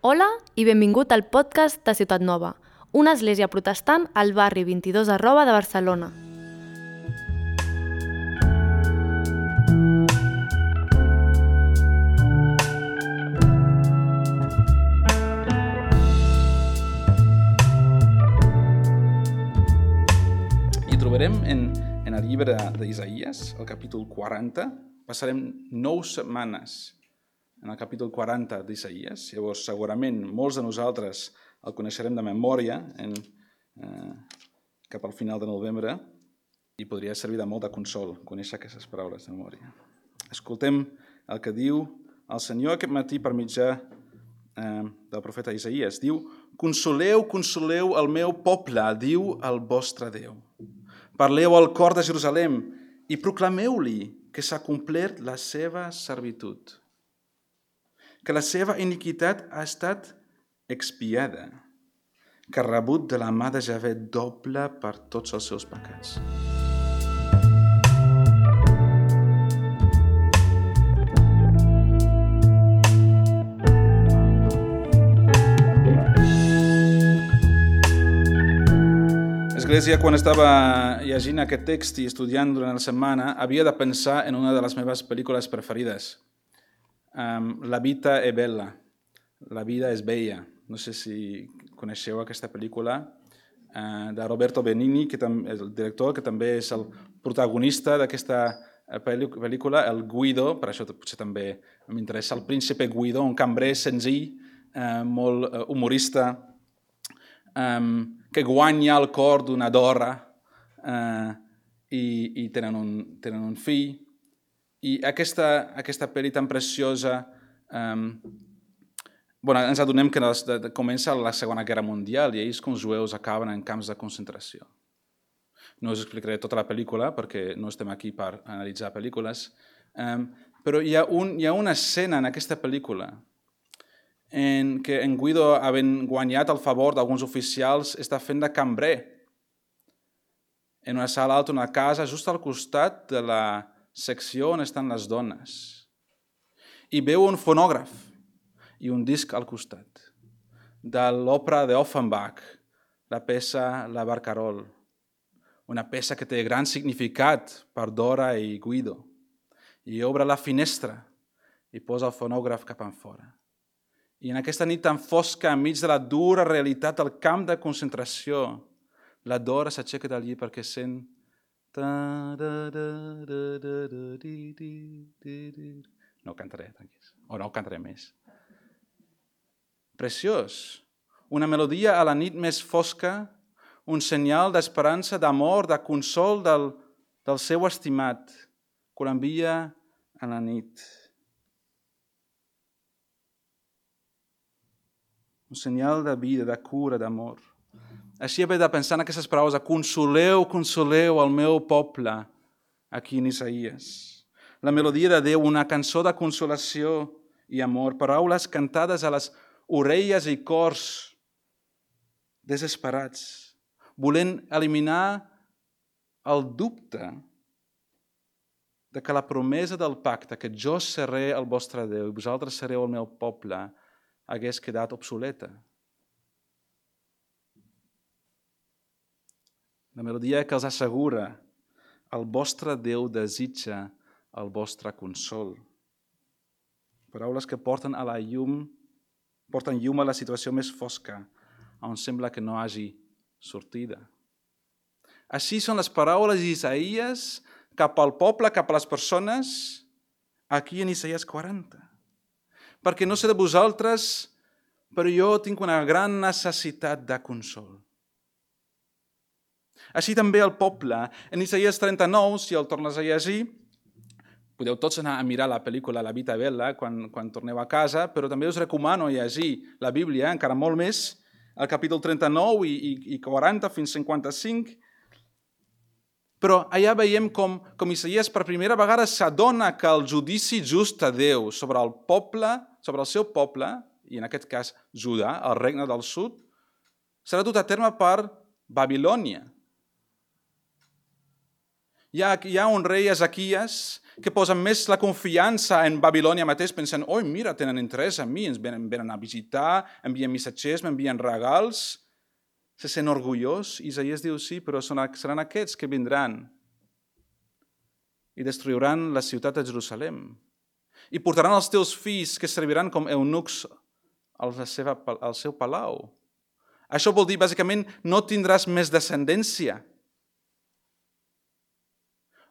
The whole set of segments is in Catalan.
Hola i benvingut al podcast de Ciutat Nova, una església protestant al barri 22 de Barcelona. I trobarem en el llibre d'Isaïes, el capítol 40. Passarem 9 setmanes en el capítol 40 d'Isaïes. Llavors, segurament, molts de nosaltres el coneixerem de memòria cap al final de novembre i podria servir de molt de consol conèixer aquestes paraules de memòria. Escoltem el que diu el Senyor aquest matí per mitjà del profeta Isaïes. Diu: "Consoleu, consoleu el meu poble, diu el vostre Déu. Parleu al cor de Jerusalem i proclameu-li que s'ha complert la seva servitud, que la seva iniquitat ha estat expiada, que ha rebut de la mà de Javé doble per tots els seus pecats." L'Església, quan estava llegint aquest text i estudiant durant la setmana, havia de pensar en una de les meves pel·lícules preferides. La vita è bella, la vida és bella. No sé si coneixeu aquesta pel·lícula de Roberto Benigni, que és el director, que també és el protagonista d'aquesta pel·lícula, el Guido. Per això potser també m'interessa el príncipe Guido, un cambrer senzill, molt humorista, que guanya el cor d'una dora i tenen un fill. I aquesta pel·li tan preciosa, ens adonem que comença la Segona Guerra Mundial i ells com jueus acaben en camps de concentració. No us explicaré tota la pel·lícula perquè no estem aquí per analitzar pel·lícules, però hi ha una escena en aquesta pel·lícula en què en Guido, havent guanyat el favor d'alguns oficials, està fent de cambrer en una sala alta, una casa, just al costat de la secció on estan les dones. I veu un fonògraf i un disc al costat de l'òpera d'Offenbach, la peça La Barcarolle, una peça que té gran significat per Dora i Guido. I obre la finestra i posa el fonògraf cap enfora. I en aquesta nit tan fosca, enmig de la dura realitat del camp de concentració, la Dora s'aixeca del llit perquè sent... No cantaré, tranquils. O no cantaré més. Preciós. Una melodia a la nit més fosca, un senyal d'esperança, d'amor, de consol del seu estimat, que l'envia a la nit. Un senyal de vida, de cura, d'amor. Així he de pensar en aquestes paraules de consoleu, consoleu el meu poble, aquí en Isaïes. La melodia de Déu, una cançó de consolació i amor, paraules cantades a les orelles i cors desesperats, volent eliminar el dubte de que la promesa del pacte, que jo seré el vostre Déu i vosaltres sereu el meu poble, hagués quedat obsoleta. La melodia que els assegura: el vostre Déu desitja el vostre consol. Paraules que porten llum a la situació més fosca, on sembla que no hagi sortida. Així són les paraules d'Isaïes cap al poble, cap a les persones, aquí en Isaïes 40. Perquè no sé de vosaltres, però jo tinc una gran necessitat de consol. Així també el poble, en Isaïes 39, si el tornes a llegir, podeu tots anar a mirar la pel·lícula La Vita Bella quan torneu a casa, però també us recomano llegir la Bíblia, encara molt més, el capítol 39 i 40 fins 55. Però allà veiem com Isaïes per primera vegada s'adona que el judici just de Déu sobre el poble, sobre el seu poble, i en aquest cas Judà, el regne del sud, serà dut a terme per Babilònia. Hi ha un rei Ezequies que posa més la confiança en Babilònia mateix, pensant, oi, mira, tenen interès en mi, ens venen a visitar, envien missatgers, m'envien regals, se sent orgullós. Isaías diu, sí, però seran aquests que vindran i destruiran la ciutat de Jerusalem. I portaran els teus fills que serviran com eunucs al seu palau. Això vol dir, bàsicament, no tindràs més descendència.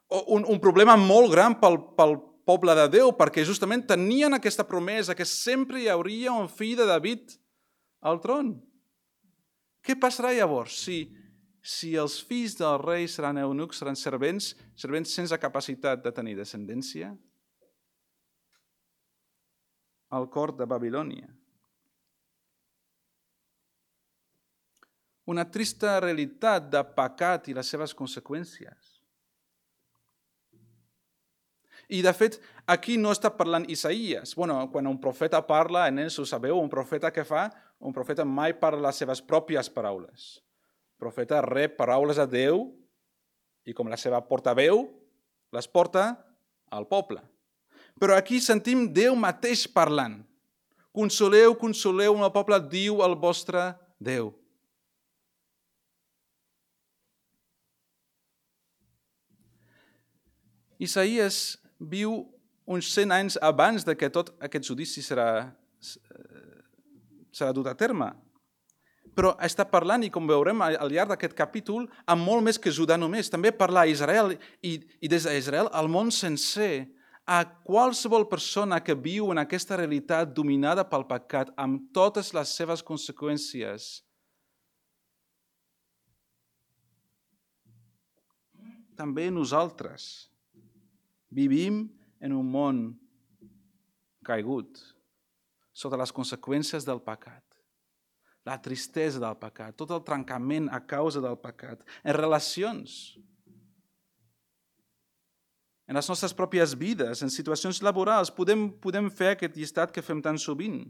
Un problema molt gran pel poble de Déu, perquè justament tenien aquesta promesa que sempre hi hauria un fill de David al tron. Què passarà llavors si els fills del rei seran eunucs, seran servents sense capacitat de tenir descendència? Al cor de Babilònia. Una trista realitat de pecat i les seves conseqüències. I, de fet, aquí no està parlant Isaías. Quan un profeta parla, en ells ho sabeu, un profeta què fa? Un profeta mai parla les seves pròpies paraules. El profeta rep paraules de Déu i, com la seva portaveu, les porta al poble. Però aquí sentim Déu mateix parlant. Consoleu, consoleu, el poble diu el vostre Déu. Isaías viu uns 100 anys abans de que tot aquest judici serà dut a terme. Però està parlant, i com veurem al llarg d'aquest capítol, amb molt més que Judà només. També parla a Israel i des d'Israel al món sencer, a qualsevol persona que viu en aquesta realitat dominada pel pecat amb totes les seves conseqüències. També nosaltres vivim en un món caigut sota les conseqüències del pecat, la tristesa del pecat, tot el trencament a causa del pecat, en relacions, en les nostres pròpies vides, en situacions laborals. Podem fer aquest llistat que fem tan sovint.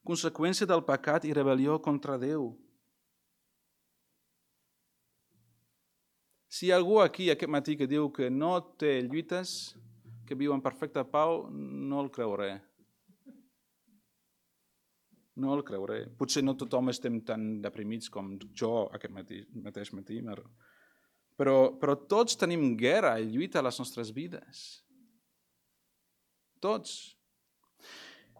Conseqüència del pecat i rebel·lió contra Déu. Si hi ha algú aquí aquest matí que diu que no té lluites, que viu en perfecta pau, no el creuré. No el creuré. Potser no tothom estem tan deprimits com jo aquest mateix matí, però tots tenim guerra i lluita a les nostres vides. Tots.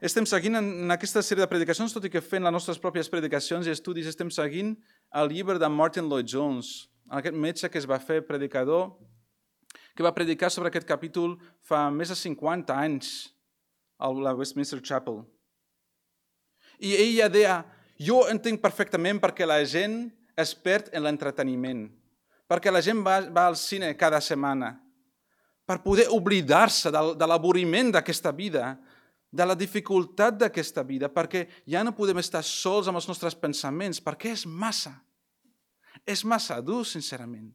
Estem seguint en aquesta sèrie de predicacions, tot i que fent les nostres pròpies predicacions i estudis, estem seguint el llibre de Martin Lloyd-Jones, aquest metge que es va fer predicador, que va predicar sobre aquest capítol fa més de 50 anys a la Westminster Chapel. I ell ja deia, jo entenc perfectament perquè la gent es perd en l'entreteniment, perquè la gent va al cine cada setmana, per poder oblidar-se de l'avorriment d'aquesta vida, de la dificultat d'aquesta vida, perquè ja no podem estar sols amb els nostres pensaments, perquè és massa dur, sincerament.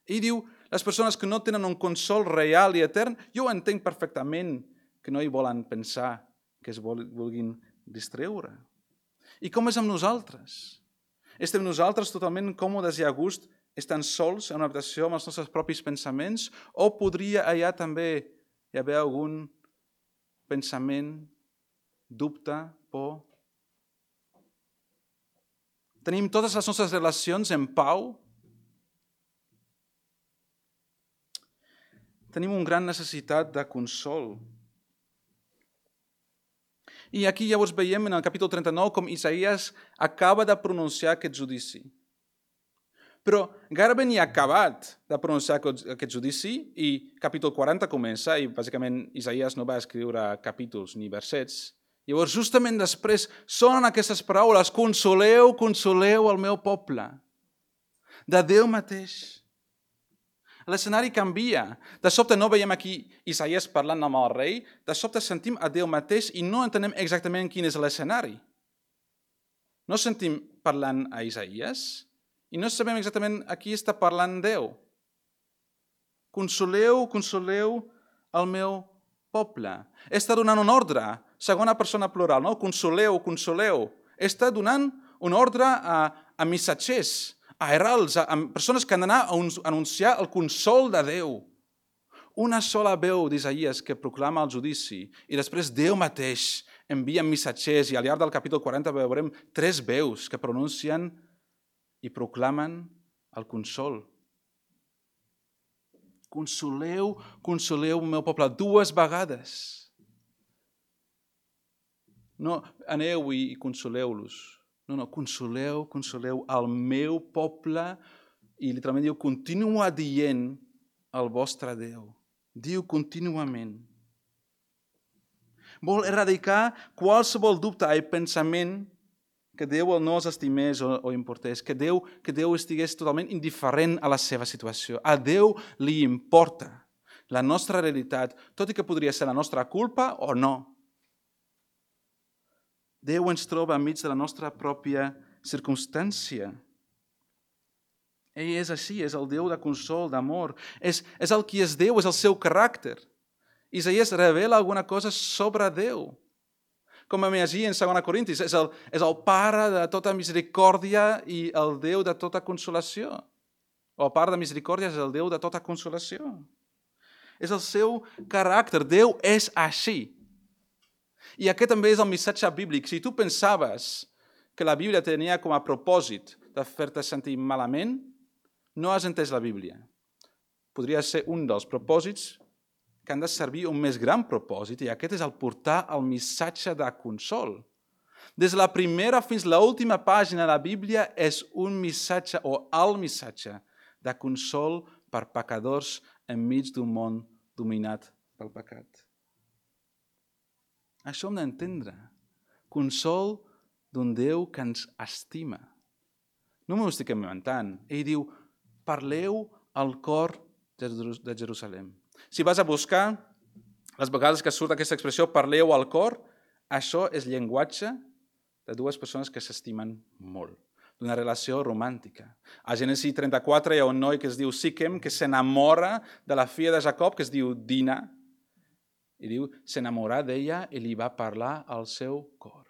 Ell diu, les persones que no tenen un consol real i etern, jo entenc perfectament que no hi volen pensar, que es vulguin distreure. I com és amb nosaltres? Estem nosaltres totalment còmodes i a gust estant sols en una habitació amb els nostres propis pensaments, o podria allà també hi haver algun pensament, dubte, por? Tenim totes les nostres relacions en pau? Tenim una gran necessitat de consol. I aquí llavors veiem en el capítol 39 com Isaías acaba de pronunciar aquest judici. Però gairebé ni ha acabat de pronunciar aquest judici i capítol 40 comença i bàsicament Isaías no va escriure capítols ni versets. Llavors, justament després, sonen aquestes paraules, consoleu, consoleu el meu poble, de Déu mateix. L'escenari canvia. De sobte no veiem aquí Isaías parlant amb el rei, de sobte sentim a Déu mateix i no entenem exactament quin és l'escenari. No sentim parlant a Isaías i no sabem exactament a qui està parlant Déu. Consoleu, consoleu el meu poble. Està donant un ordre, segona persona plural, no? Consoleu, consoleu. Està donant un ordre a missatgers, a heralds, a persones que han d'anar a anunciar el consol de Déu. Una sola veu d'Isaïes que proclama el judici i després Déu mateix envia missatgers i al llarg del capítol 40 veurem 3 veus que pronuncien i proclamen el consol. Consoleu, consoleu el meu poble 2 vegades. No, aneu i consoleu-los. No, consoleu, consoleu el meu poble i literalment diu, continua dient el vostre Déu. Diu contínuament. Vol erradicar qualsevol dubte i pensament que Déu no els estimés o importés, que Déu estigués totalment indiferent a la seva situació. A Déu li importa la nostra realitat, tot i que podria ser la nostra culpa o no. Déu ens troba enmig de la nostra pròpia circumstància. Ell és així, és el Déu de consol, d'amor. És el qui és Déu, és el seu caràcter. Isaías revela alguna cosa sobre Déu. Com vam llegir en 2 Corintis, és el Pare de tota misericòrdia i el Déu de tota consolació. O el Pare de misericòrdia és el Déu de tota consolació. És el seu caràcter. Déu és així. I aquest també és el missatge bíblic. Si tu pensaves que la Bíblia tenia com a propòsit de fer-te sentir malament, no has entès la Bíblia. Podria ser un dels propòsits que han de servir un més gran propòsit, i aquest és el portar el missatge de consol. Des de la primera fins a l'última pàgina de la Bíblia és un missatge, o el missatge, de consol per pecadors enmig d'un món dominat pel pecat. Això hem d'entendre. Consol d'un Déu que ens estima. No m'ho estic inventant. Ell diu, parleu al cor de Jerusalem. Si vas a buscar, les vegades que surt aquesta expressió, parleu al cor, això és llenguatge de 2 persones que s'estimen molt, d'una relació romàntica. A Gènesis 34 hi ha un noi que es diu Siquem, que s'enamora de la filla de Jacob, que es diu Dina, i diu, s'enamorà d'ella i li va parlar al seu cor.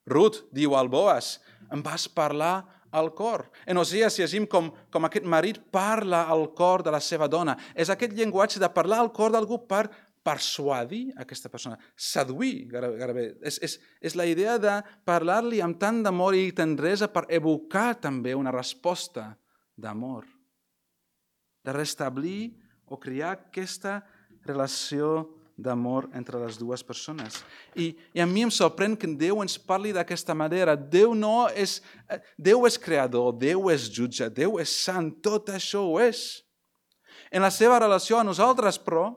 Ruth diu al Boaz, em vas parlar al cor. En Osées llegim com aquest marit parla al cor de la seva dona. És aquest llenguatge de parlar al cor d'algú per persuadir aquesta persona, seduir, gairebé. És la idea de parlar-li amb tant d'amor i tendresa per evocar també una resposta d'amor, de restablir o crear aquesta relació d'amor entre les 2 persones. I a mi em sorprèn que Déu ens parli d'aquesta manera. Déu és creador, Déu és jutge, Déu és sant, tot això ho és. En la seva relació a nosaltres, però,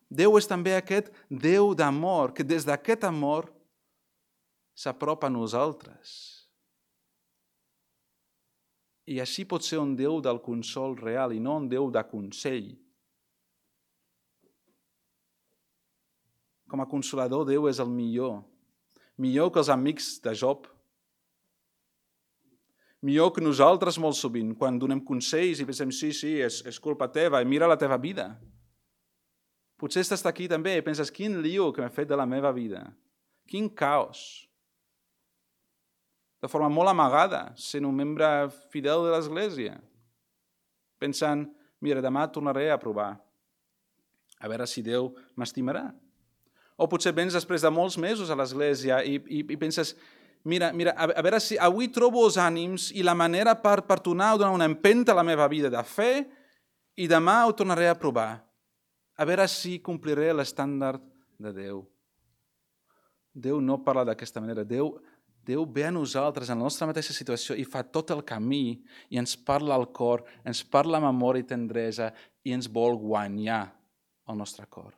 Déu és també aquest Déu d'amor, que des d'aquest amor s'apropa a nosaltres. I així pot ser un Déu del consol real i no un Déu de consell. Com a consolador, Déu és el millor. Millor que els amics de Job. Millor que nosaltres molt sovint, quan donem consells i pensem, sí, és culpa teva, i mira la teva vida. Potser estàs aquí també i penses, quin lío que m'he fet de la meva vida. Quin caos. De forma molt amagada, sent un membre fidel de l'Església. Pensant, mira, demà tornaré a provar. A veure si Déu m'estimarà. O potser vens després de molts mesos a l'Església i penses, mira, a veure si avui trobo els ànims i la manera per tornar a donar una empenta a la meva vida de fe i demà ho tornaré a provar. A veure si compliré l'estàndard de Déu. Déu no parla d'aquesta manera. Déu ve a nosaltres en la nostra mateixa situació i fa tot el camí i ens parla al cor, ens parla amb amor i tendresa i ens vol guanyar el nostre cor.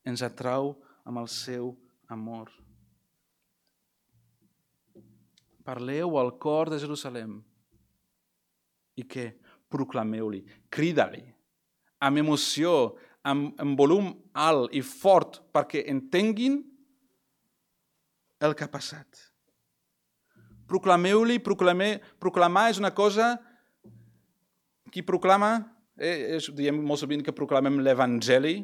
Ens atrau amb el seu amor. Parleu al cor de Jerusalem. I què? Proclameu-li, crida-li, amb emoció, amb volum alt i fort, perquè entenguin el que ha passat. Proclameu-li, proclamar és una cosa, qui proclama, diem molt sovint que proclamem l'Evangeli.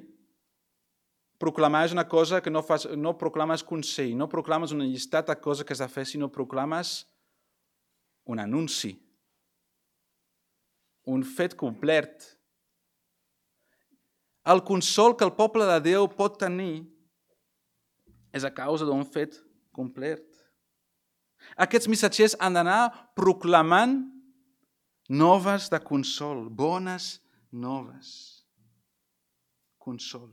Proclamar és una cosa que no proclames consell, no proclames una llistat de coses que has de fer, sinó proclames un anunci. un fet complet. El consol que el poble de Déu pot tenir és a causa d'un fet complet. Aquests missatgers han d'anar proclamant noves de consol, bones noves. Consol.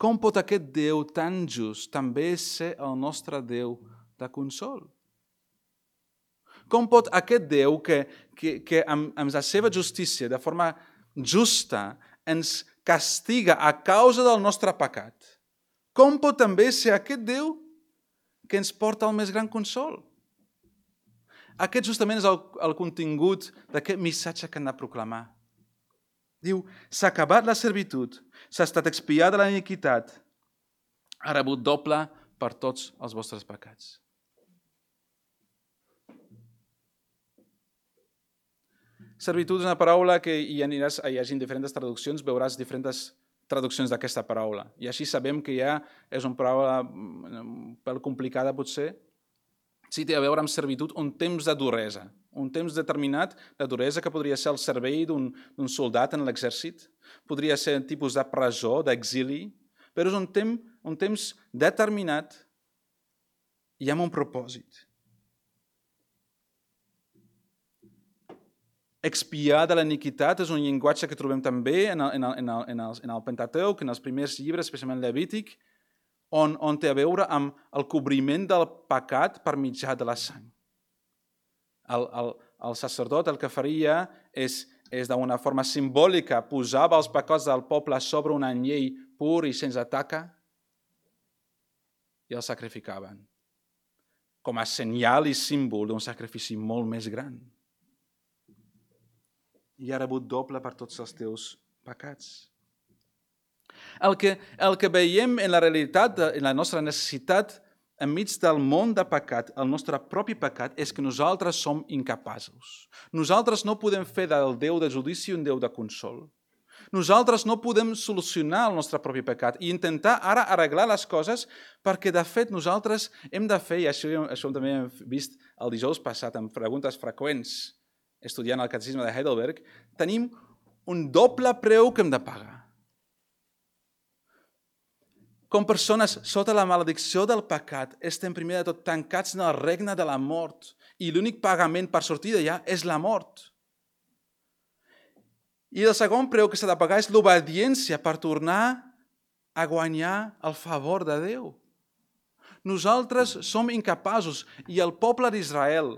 Com pot aquest Déu tan just també ser el nostre Déu de consol? Com pot aquest Déu que amb la seva justícia, de forma justa, ens castiga a causa del nostre pecat, com pot també ser aquest Déu que ens porta el més gran consol? Aquest justament és el contingut d'aquest missatge que han de proclamar. Diu, s'ha acabat la servitud, s'ha estat expiada la iniquitat, ha rebut doble per tots els vostres pecats. Servitud és una paraula que hi hagi diferents traduccions, veuràs diferents traduccions d'aquesta paraula. I així sabem que ja és una paraula un pèl complicada potser. Sí, té a veure amb servitud un temps de duresa, un temps determinat de duresa que podria ser el servei d'un soldat en l'exèrcit, podria ser un tipus de presó, d'exili, però és un temps determinat i amb un propòsit. Expiar de l'iniquitat és un llenguatge que trobem també en el Pentateuc, en els primers llibres, especialment Levític, on té a veure amb el cobriment del pecat per mitjà de la sang. El sacerdot el que faria és d'una forma simbòlica, posava els pecats del poble sobre un anyell pur i sense taca i el sacrificaven, com a senyal i símbol d'un sacrifici molt més gran. I ha rebut doble per tots els teus pecats. El que veiem en la realitat, en la nostra necessitat, enmig del món de pecat, el nostre propi pecat, és que nosaltres som incapaços. Nosaltres no podem fer del Déu de judici un Déu de consol. Nosaltres no podem solucionar el nostre propi pecat i intentar ara arreglar les coses perquè, de fet, nosaltres hem de fer, i això també hem vist el dijous passat amb preguntes freqüents, estudiant el catecisme de Heidelberg, tenim un doble preu que hem de pagar. Com persones sota la maledicció del pecat, estem primer de tot tancats en el regne de la mort i l'únic pagament per sortir d'allà és la mort. I el segon preu que s'ha de pagar és l'obediència per tornar a guanyar el favor de Déu. Nosaltres som incapaços i el poble d'Israel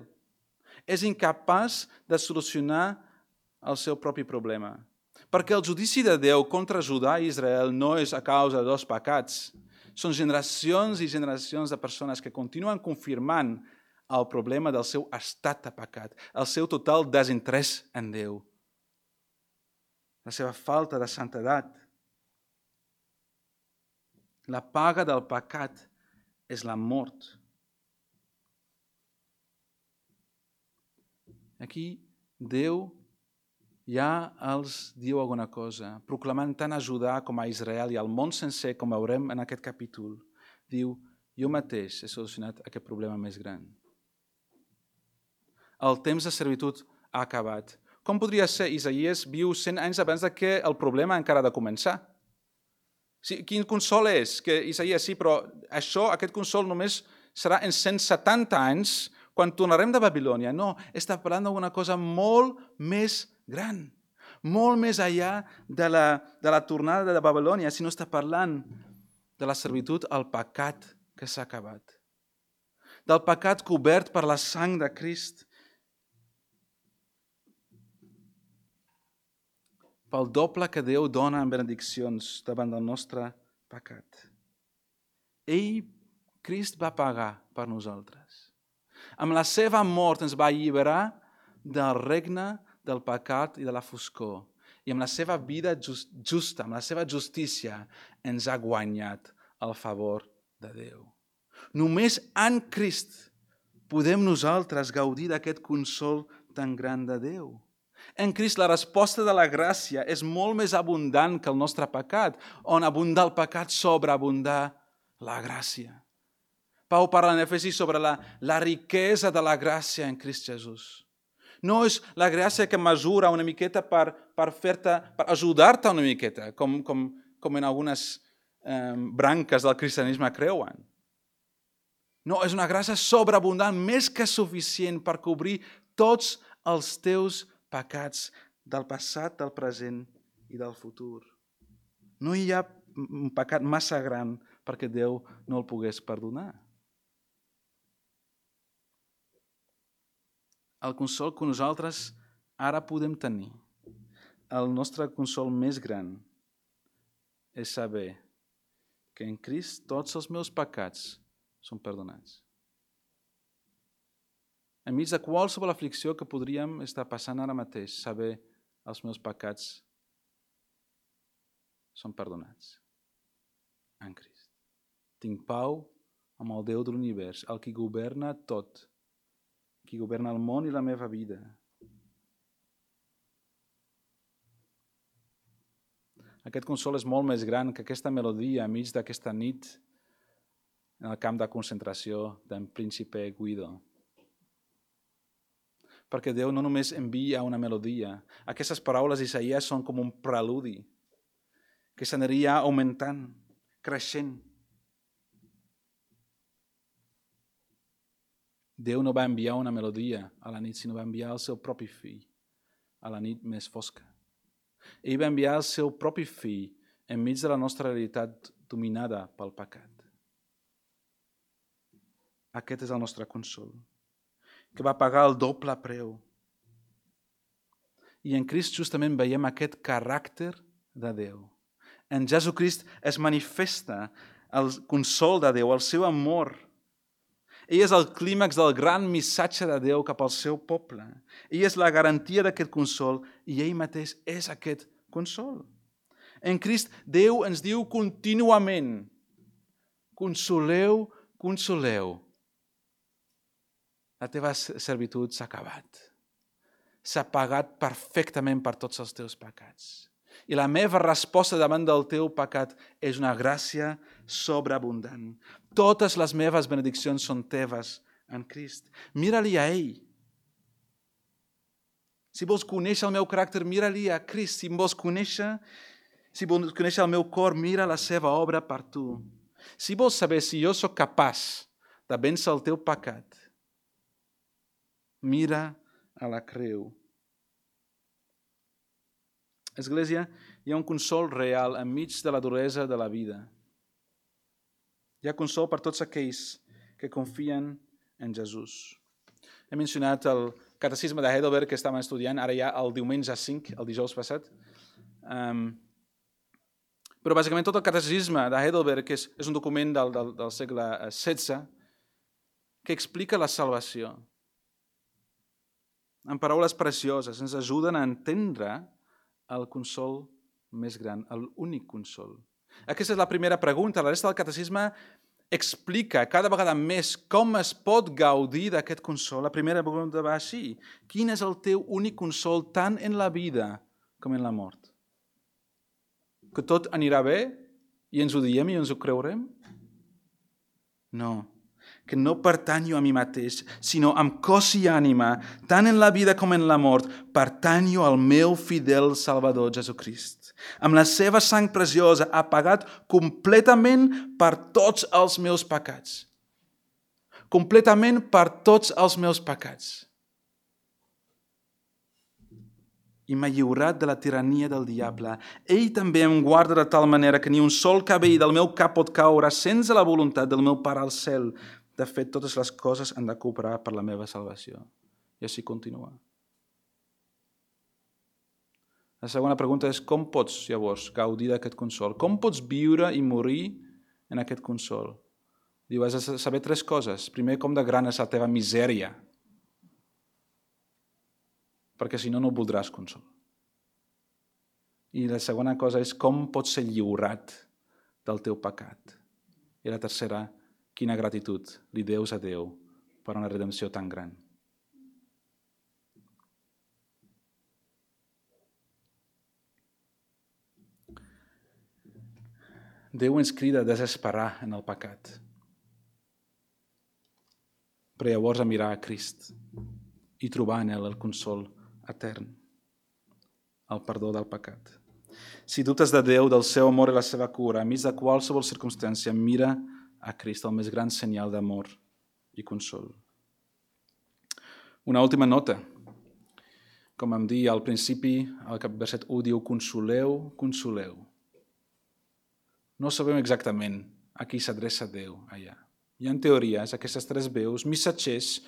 és incapaç de solucionar el seu propi problema. Perquè el judici de Déu contra Judà i Israel no és a causa de dos pecats. Són generacions i generacions de persones que continuen confirmant el problema del seu estat de pecat, el seu total desinterès en Déu, la seva falta de santedat. La paga del pecat és la mort. Aquí Déu ja els diu alguna cosa, proclamant tant a Judà com a Israel i al món sencer, com veurem en aquest capítol. Diu, jo mateix he solucionat aquest problema més gran. El temps de servitud ha acabat. Com podria ser? Isaías viu 100 anys abans que el problema encara ha de començar. Sí, quin consol és? Que Isaías sí, però aquest consol només serà en 170 anys quan tornarem de Babilònia. No, està parlant d'una cosa molt més gran, molt més enllà de la tornada de Babilònia, sinó està parlant de la servitud al pecat que s'ha acabat, del pecat cobert per la sang de Crist, pel doble que Déu dona en benediccions davant del nostre pecat. Crist va pagar per nosaltres. Amb la seva mort ens va alliberar del regne del pecat i de la foscor. I amb la seva vida justa, amb la seva justícia, ens ha guanyat el favor de Déu. Només en Crist podem nosaltres gaudir d'aquest consol tan gran de Déu. En Crist la resposta de la gràcia és molt més abundant que el nostre pecat, on abundar el pecat sobreabundar la gràcia. Pau parla en Efesis sobre la riquesa de la gràcia en Crist Jesús. No és la gràcia que mesura una miqueta per ajudar-te una miqueta, com en algunes branques del cristianisme creuen. No, és una gràcia sobreabundant, més que suficient per cobrir tots els teus pecats del passat, del present i del futur. No hi ha un pecat massa gran perquè Déu no el pogués perdonar. El consol que nosaltres ara podem tenir, el nostre consol més gran, és saber que en Crist tots els meus pecats són perdonats. Enmig de qualsevol aflicció que podríem estar passant ara mateix, saber els meus pecats són perdonats en Crist. Tinc pau amb el Déu de l'univers, el qui governa tot, qui governa el món i la meva vida. Aquest consol és molt més gran que aquesta melodia enmig d'aquesta nit en el camp de concentració d'en Príncipe Guido. Perquè Déu no només envia una melodia. Aquestes paraules d'Isaïas són com un preludi que s'aniria augmentant, creixent. Déu no va enviar una melodia a la nit, sinó va enviar el seu propi fill a la nit més fosca. Ell va enviar el seu propi fill enmig de la nostra realitat dominada pel pecat. Aquest és el nostre consol, que va pagar el doble preu. I en Crist justament veiem aquest caràcter de Déu. En Jesucrist es manifesta el consol de Déu, el seu amor. Ell és el clímax del gran missatge de Déu cap al seu poble. Ell és la garantia d'aquest consol i ell mateix és aquest consol. En Crist, Déu ens diu contínuament: consoleu, consoleu. La teva servitud s'ha acabat. S'ha pagat perfectament per tots els teus pecats. I la meva resposta davant del teu pecat és una gràcia sobreabundant. Totes les meves benediccions són teves en Crist. Mira-li a ell. Si vols conèixer el meu caràcter, mira-li a Crist. Si vols conèixer el meu cor, mira la seva obra per tu. Si vols saber si jo sóc capaç de vèncer el teu pecat, mira a la creu. Església, hi ha un consol real enmig de la duresa de la vida. Hi ha consol per tots aquells que confien en Jesús. He mencionat el catecisme de Heidelberg que estàvem estudiant, ara ja el diumenge 5, el dijous passat. Però bàsicament tot el catecisme de Heidelberg és un document del segle XVI que explica la salvació. En paraules precioses, ens ajuden a entendre el consol més gran, l'únic consol. Aquesta és la primera pregunta. La resta del catecisme explica cada vegada més com es pot gaudir d'aquest consol. La primera pregunta va així: quin és el teu únic consol tant en la vida com en la mort? Que tot anirà bé i ens ho diem i ens ho creurem? No. Que no pertanyo a mi mateix, sinó amb cos i ànima, tant en la vida com en la mort, pertanyo al meu fidel Salvador Jesucrist. Amb la seva sang preciosa ha pagat completament per tots els meus pecats. Completament per tots els meus pecats. I m'ha lliurat de la tirania del diable. Ell també em guarda de tal manera que ni un sol cabell del meu cap pot caure sense la voluntat del meu Pare al cel. De fet, totes les coses han de cooperar per la meva salvació. I així continua. La segona pregunta és: com pots, llavors, gaudir d'aquest consol? Com pots viure i morir en aquest consol? Diu, has de saber 3 coses. Primer, com de gran és la teva misèria. Perquè si no, no voldràs consol. I la segona cosa és com pots ser lliurat del teu pecat. I la tercera, quina gratitud li deus a Déu per una redempció tan gran. Déu ens crida a desesperar en el pecat, però llavors a mirar a Crist i trobar en ell el consol etern, el perdó del pecat. Si dubtes de Déu, del seu amor i la seva cura, enmig de qualsevol circumstància, mira a Crist, el més gran senyal d'amor i consol. Una última nota. Com vam dir al principi, el verset 1 diu consoleu, consoleu. No sabem exactament a qui s'adreça Déu allà. Hi ha teories, aquestes tres veus, missatgers,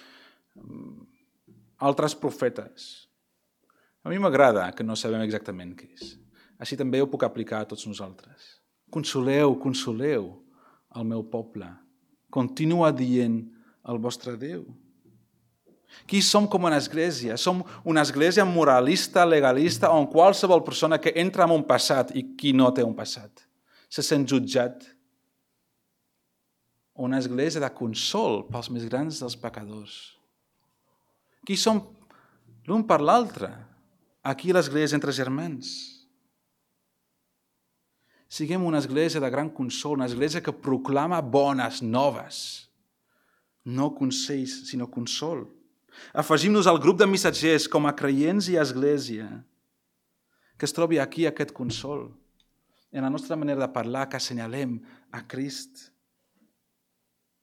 altres profetes. A mi m'agrada que no sabem exactament què és. Així també ho puc aplicar a tots nosaltres. Consoleu, consoleu el meu poble. Continua dient el vostre Déu. Qui som com una església? Som una església moralista, legalista, on qualsevol persona que entra en un passat i qui no té un passat se sent jutjat. Una església de consol pels més grans dels pecadors. Qui som l'un per l'altre? Aquí l'església entre germans. Siguem una església de gran consol, una església que proclama bones noves. No consells, sinó consol. Afegim-nos al grup de missatgers com a creients i església, que es trobi aquí aquest consol. En la nostra manera de parlar, que assenyalem a Crist.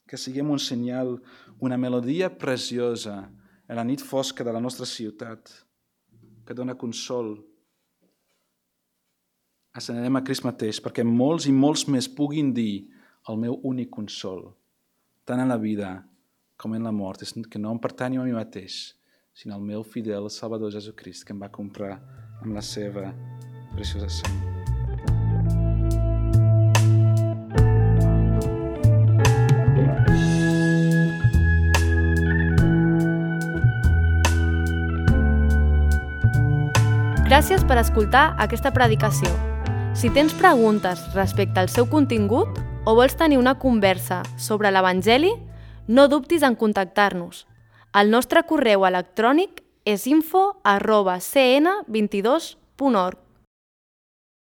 Que siguem un senyal, una melodia preciosa en la nit fosca de la nostra ciutat, que dona consol. Assenyalem a Crist mateix, perquè molts i molts més puguin dir el meu únic consol, tant en la vida com en la mort, és que no em pertanyo a mi mateix, sinó al meu fidel Salvador Jesucrist, que em va comprar amb la seva preciosa sang. Gràcies per escoltar aquesta predicació. Si tens preguntes respecte al seu contingut o vols tenir una conversa sobre l'Evangeli, no dubtis en contactar-nos. El nostre correu electrònic és info@cn22.org.